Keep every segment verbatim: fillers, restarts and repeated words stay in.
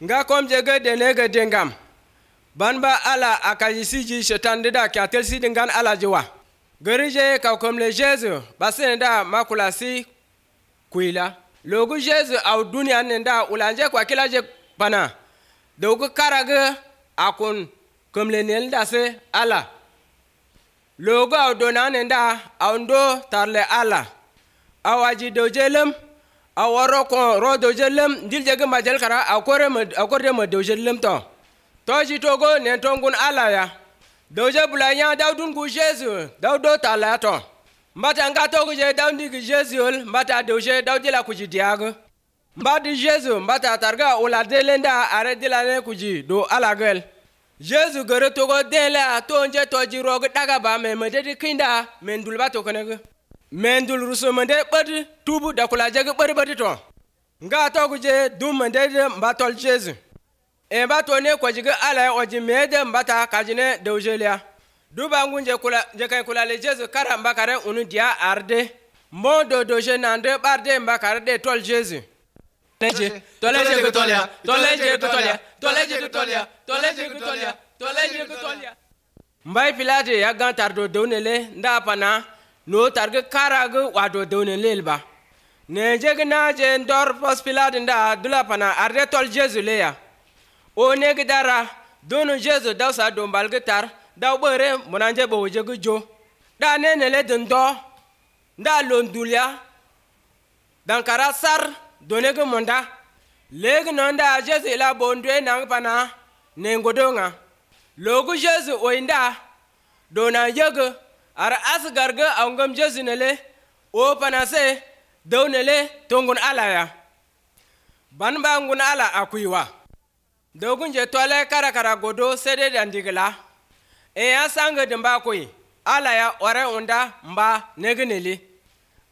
Nga kom jege denege dengam. Banba ala akajisi ji shetan da ki atelsi dengan ala jiwa. Gerije ka kom le Jesu basen da makulasi kuila. Logu Jesu au dunia nenda ulanje kwa kila je bana. Dogu karage akun kom le nel se ala. Logu au dona nenda au ndo tarle ala. Awaji dojelem awaro ko ro dojelem diljege majel kara akore akore mo dojelem to. Toji togo ne tongun ala ya. Doje bulanya daudun gu Jesu daudo tala to. Mbata nga togo je daundi gu Jesu mbata doje daudi la kuji diago. Mbadi Jesu mbata targa ula delenda are dilane kuji do ala gel. Jesu gere togo dela tonje toji rogo daga ba me mededi kinda mendul ba to konego. Mendul ruso mende badi tubu da kula jege badi badi to. Nga togo je dum mende mbatol Jesu. E ba to ne ko jiga ala o ji mede mbata kajine dewjelia duba ngunje kula je kay kula le Jesu kara mbakare unu dia arde mo do doje nande barde mbakare de tol Jesu teje toleje ko tolia toleje ko tolia toleje ko tolia toleje ko tolia toleje ko tolia mbay pilate ya gantar do downele nda pana no targe karago wado downele ba ne je gna je ndor pos pilate nda dula pana arde tol Jesu le ya o negi dara donu Jesu daw sa do mbalge tar daw bere monanje bo jegu jo da nene le dndo nda londulia dan kara sar donege monda legi nonda Jesu la bondwe nang pana nengodonga logu Jesu o inda dona yegu ara asgarga awngam Jesu nele o pana se downele tongun alaya banba ngun ala akuiwa dogun je tole kara kara godo sede dandigla e ya sanga dimba koi ala ya ore unda mba negneli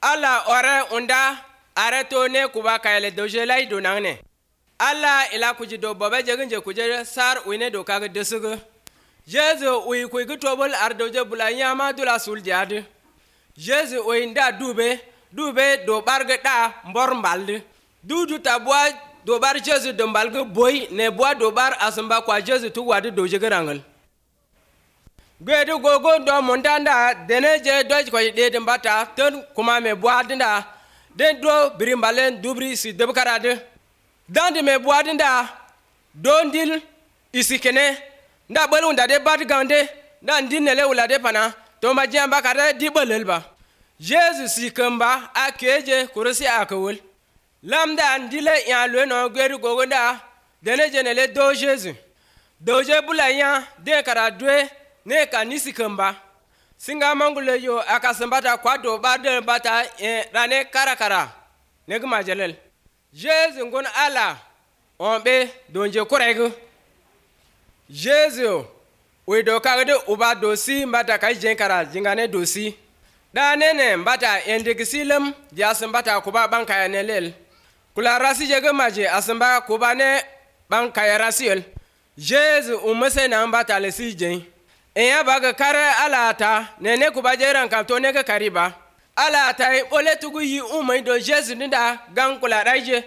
ala ore unda areto ne kuba kayele doje lay donangne ala ila kuji do bobe jegin je kuje sar uine do kaga desugo Jesu ui kuy gutobol ar doje bulanya ma dula sul jade Jesu ui nda dube dube do barga da mbor mbalde dudu tabwa dobar Jesu dombalge boy ne bois dobar asamba kwa Jesu tu wadi doje garangal gwedu gogo do mondanda deneje doj ko de dembata ton kuma me bois dinda den do brimbalen dubri si debkarade dande me bois dinda dondil isikene nda balunda de bat gande nda ndinele ulade pana to majamba kare di balelba Jesu sikamba akeje kurusi akawul Lamda ndile ya lwe no gweru gogonda dene jenele do Jesu doje bulanya de kara dwe ne kanisi kamba singa mangule yo akasambata kwa do barde bata e rane kara kara ne gma jalel Jesu ngon ala onbe donje korego Jesu we do kagde uba dosi mbata kai jen kara jingane dosi da nene mbata endegisilem jasambata kuba banka ya nelel kula rasi jege maje asamba kubane ban kaya rasiel Jesu umese na mbata le sije eya baga kare alata nene kubaje ran kapto ne ka kariba alata ole tugu yi umai do Jesu ninda gan kula raije